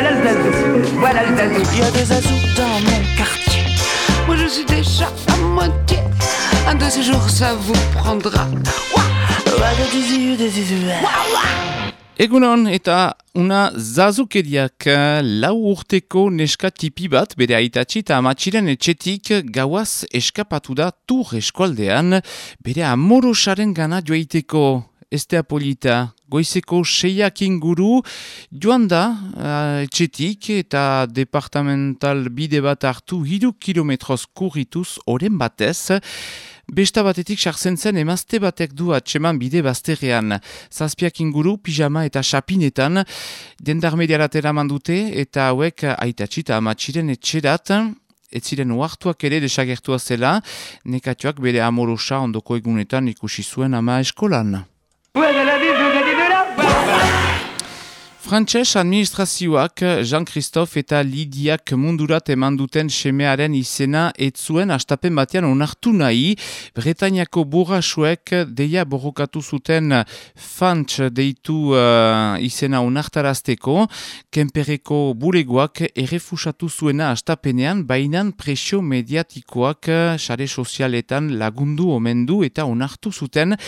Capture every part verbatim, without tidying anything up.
Voilà le zazou, voilà le zazou. Il y a des zazous dans mon quartier. Moi je suis déjà à moitié. Un de ces jours ça vous prendra. Egunon eta una zazukeriak lau urteko neska tipi bat bere aitatxi eta amatxiren etxetik gauaz eskapatu da Tur eskualdean bere amorosaren gana joaiteko. Estea polita, goizeko seiak inguru joan da uh, etxetik eta departamental bide bat hartu hiru kilometroz kurrituz oren batez. Besta batetik sartzen zen emazte batek du atseman bide bazterrean. Zazpiak inguru, pijama eta xapinetan, dendarmediarat eraman dute eta hauek aitatxi eta amatxiren etxerat. Ez ziren uartuak ere desagertua zela, nekatuak bere amorosa ondoko egunetan ikusi zuen ama eskolan. Frantses administrazioak Jean-Christophe eta Lidiak mundurat eman duten semearen izena ez zuen astapen batean onartu nahi. Bretainiako burrasuek deia borrokatu zuten Fantx deitu uh, izena onartarazteko. Kenperreko bulegoak errefusatu zuena astapenean, bainan presio mediatikoak sare sozialetan lagundu omendu eta onartu zuten.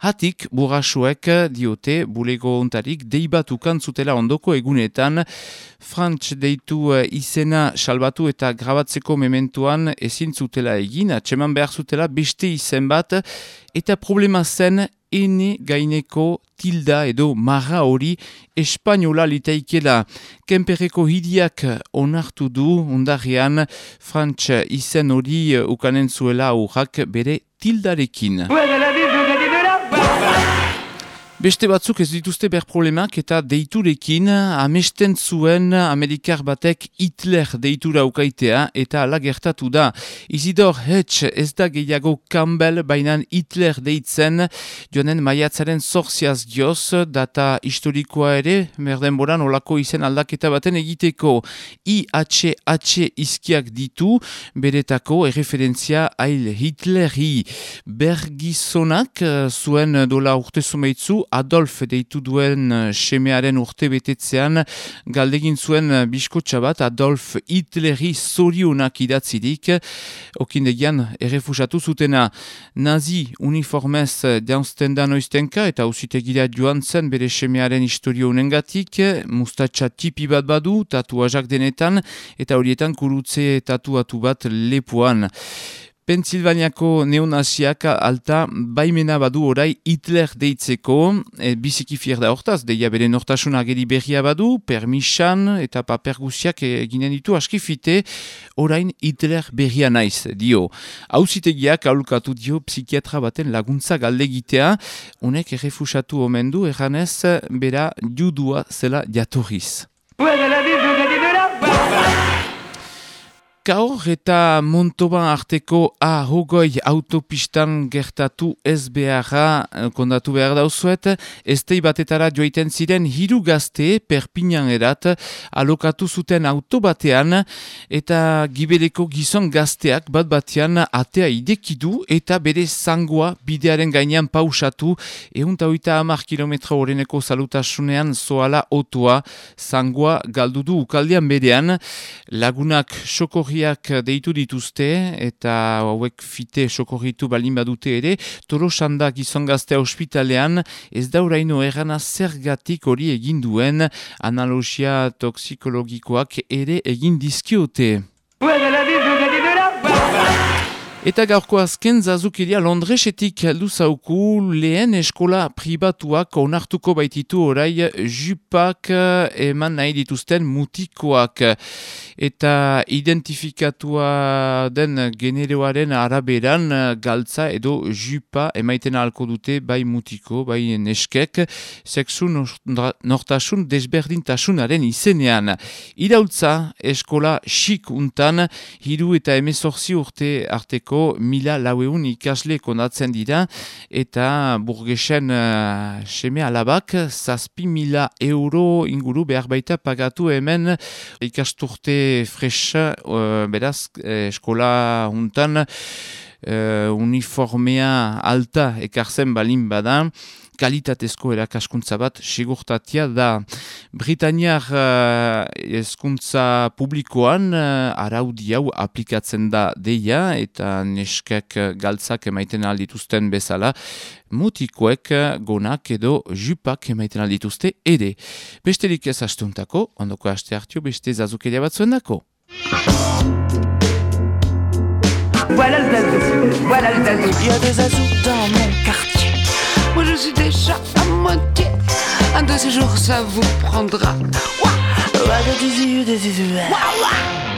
Hatik, burrasuek diote bulego ontarik deibatukan zutela ondoko egunetan. Frantx deitu izena salbatu eta grabatzeko mementuan ezin zutela egin, atseman behar zutela beste izen bat, eta problema zen ene gaineko tilda edo marra hori espainola litaikela. Kenperreko hidiak onartu du ondarrean Frantx izen hori ukanen zuela aurrak bere tildarekin. Beste batzuk ez dituzte ber problemak eta deiturekin amesten zuen Amerikar batek Hitler deitura ukaitea eta ala gertatu da. Isidor Hetsch ez da gehiago Campbell bainan Hitler deitzen joanen maiatzaren zorziaz dioz data historikoa ere merdenboran olako izen aldaketa baten egiteko. I H H izkiak ditu beretako erreferentzia Heil Hitleri. Bergizonak zuen dola urte zumeitzu Adolf deitu duen semearen urte betetzean galdegin zuen biskotxa bat Adolf Hitleri zorionak idatzirik, okindegian errefusatu zutena. Nazi uniformez jaunzten da noiztenka eta auzitegira joan zen bere semearen historio unengatik, mustatxa tipi bat badu, tatuajak denetan eta horietan kurutze tatuatu bat lepoan. Pensilvaniako neonaziak alta baimena badu orai Hitler deitzeko, e, biziki fier da hortaz, deia bere nortasun ageri berria badu, permisan eta paper guziak eginen ditu askifite, orain Hitler berria naiz, dio. Auzitegiak aholkatu dio psikiatra baten laguntza galdegitea, honek errefusatu omen du, erranez bera judua zela jatorriz. Gaur eta Montauban arteko A hogoi autopistan gertatu ez beharra kondatu behar dauzuet, estei batetara joiten ziren hiru gazte Perpignan erat alokatu zuten autobatean eta gibeleko gizon gazteak bat batean atea idekidu eta bere zangoa bidearen gainean pausatu ehunta hogeita hamar kilometro horreneko salutasunean zoala otoa zangoa galdudu ukaldean berean. Lagunak sokorriak deitu dituzte eta hauek fite sokorritu balin badute ere, Tolosanda gizon gaztea ospitalean ez dauraino errana zergatik hori egin duen, analogia toxikologikoak ere egin dizkiote. Eta gaurko azken zazukiria Londresetik heldu zauku lehen eskola pribatuak onartuko baititu orai jupak eman nahi dituzten mutikoak. Eta identifikatua den generoaren araberan galtza edo jupa emaiten ahalko dute bai mutiko, bai neskek, sexu nortasun desberdintasunaren izenean. Iraultza eskola xik untan, hiru eta emezorzi urte arteko mila laueun ikasle konatzen dira eta burgesen uh, seme alabak zazpi mila euro inguru behar baita pagatu hemen ikasturte fresa uh, beraz eh, eskola untan uh, uniformea alta ekartzen balin bada. kalitatezko erakaskuntza bat segurtatia da. Britaniar uh, hezkuntza publikoan uh, araudi hau aplikatzen da deia eta neskek galtzak emaiten aldituzten bezala, mutikoek gonak edo jupak emaiten aldituzte ere. Besterik ez astuntako, ondoko aste hartio beste zazukeria batzuen dako. Voilà le zazou, voilà le zazou. Il y a des zazous dans mon quartier. Moi je suis déjà à moitié. Un de ces jours ça vous prendra. Ouah, ouah, des zizous, des zizous. Ouah, ouah.